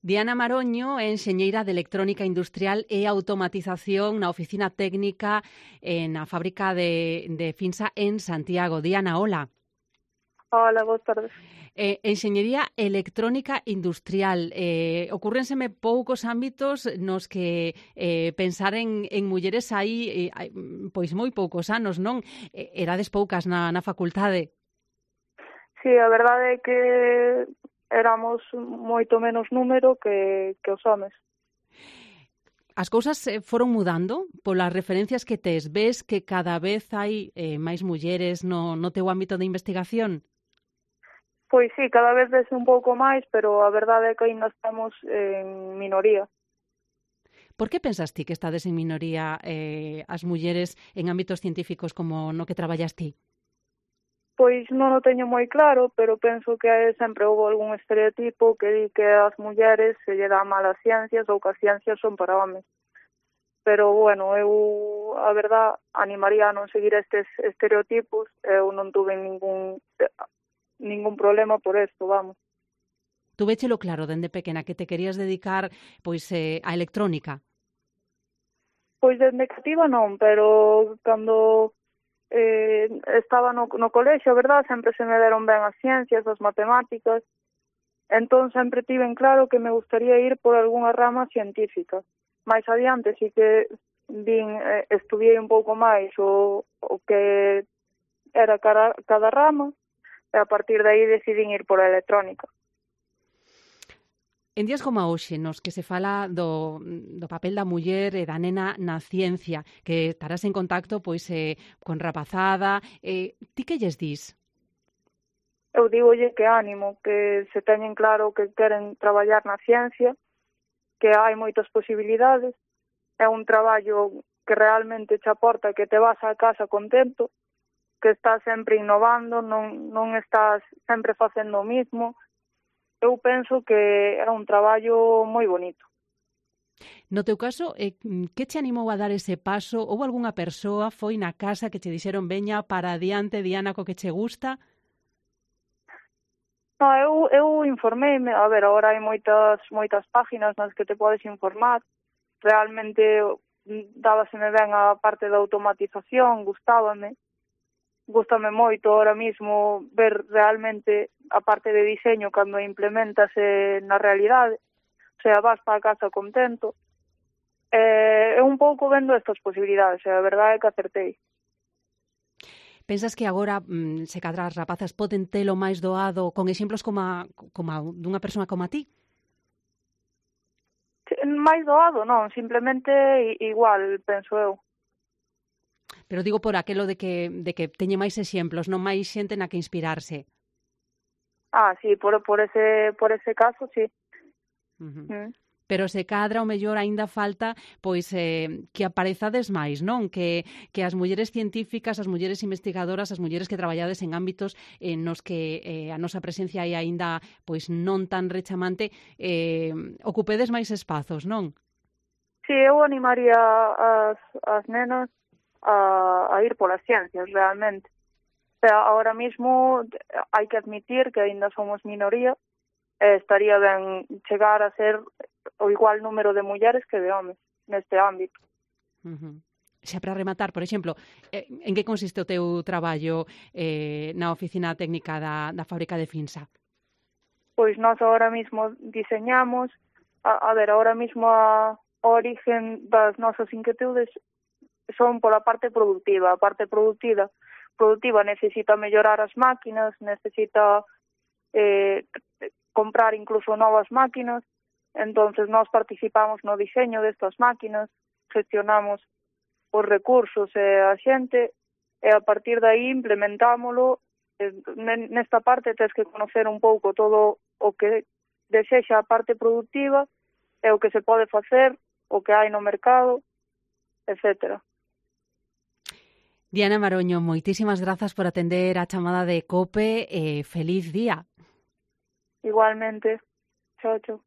Diana Maroño é enxeñeira de electrónica industrial e automatización na oficina técnica na fábrica de Finsa en Santiago. Diana, hola. Hola, boas tardes. Enxeñería electrónica industrial. Ocúrrenseme poucos ámbitos nos que pensar en mulleres hai pois moi poucos anos, non? Erades poucas na facultade. Sí, a verdade é que éramos moito menos número que os homes. As cousas foron mudando polas referencias que tes. Ves que cada vez hai máis mulleres no teu ámbito de investigación? Pois sí, cada vez ves un pouco máis, pero a verdade é que ainda estamos en minoría. Por que pensas ti que estades en minoría as mulleres en ámbitos científicos como no que traballas ti? Pois non o teño moi claro, pero penso que sempre houve algún estereotipo que di que as mulleres se lle dá mal as ciencias ou que as ciencias son para homes. Pero, bueno, eu, a verdad, animaría a non seguir estes estereotipos. Eu non tuve ningún problema por esto, vamos. Tu véchelo claro dende pequena que te querías dedicar pois á electrónica? Pois dende cativa non, pero cando estaba no colexio, verdad, sempre se me deron ben as ciencias, as matemáticas, entón sempre tiven claro que me gustaría ir por algunha rama científica. Mais adiante, si que estudiei un pouco máis o que era cada rama, e a partir de aí decidín ir por a electrónica. En días como hoxe, nos que se fala do papel da muller e da nena na ciencia, que estarás en contacto pois con rapazada, ti que lles dis? Eu digolle que ánimo, que se teñen claro que queren traballar na ciencia, que hai moitas posibilidades, é un traballo que realmente te aporta, que te vas a casa contento, que estás sempre innovando, non estás sempre facendo o mismo. Eu penso que era un traballo moi bonito. No teu caso, que te animou a dar ese paso? Houve algunha persoa, foi na casa que che dixeron veña para adiante, Diana, co que che gusta? No, eu informeime, a ver, agora hai moitas páginas nas que te podes informar. Realmente dábaseme ben a parte da automatización, gustame moito ahora mismo ver realmente a parte de diseño cando implementas na realidade, o sea, vas para casa contento. Un pouco vendo estas posibilidades, a verdade é que acertei. Pensas que agora, se cadra as rapazas poden telo máis doado con exemplos como dunha persoa como a ti? Máis doado, non, simplemente igual, penso eu. Pero digo por aquelo de que teñe máis exemplos, non máis xente na que inspirarse. Sí, por ese caso, sí. Pero se cadra o mellor aínda falta pois que aparezades máis, non? Que as mulleres científicas, as mulleres investigadoras, as mulleres que traballades en ámbitos nos que a nosa presencia é aínda pois non tan rechamante, ocupedes máis espazos, non? Sí, eu animaría as nenas a ir polas ciencias, realmente. O sea, ahora mismo hai que admitir que aínda somos minoría, estaría ben chegar a ser o igual número de mulleres que de homes neste ámbito. Xa para rematar, por exemplo, en que consiste o teu traballo na oficina técnica da fábrica de Finsa? Pois nós agora mismo diseñamos, ahora mismo a origen das nosas inquietudes son pola parte productiva. A parte productiva necesita mellorar as máquinas, necesita comprar incluso novas máquinas. Entonces nós participamos no diseño destas máquinas, gestionamos os recursos e a xente, e a partir de aí implementámolo. Nesta parte tens que conocer un pouco todo o que desexa a parte productiva e o que se pode facer, o que hai no mercado, etcétera. Diana Maroño, moitísimas grazas por atender a chamada de COPE e feliz día. Igualmente. Chao, chao.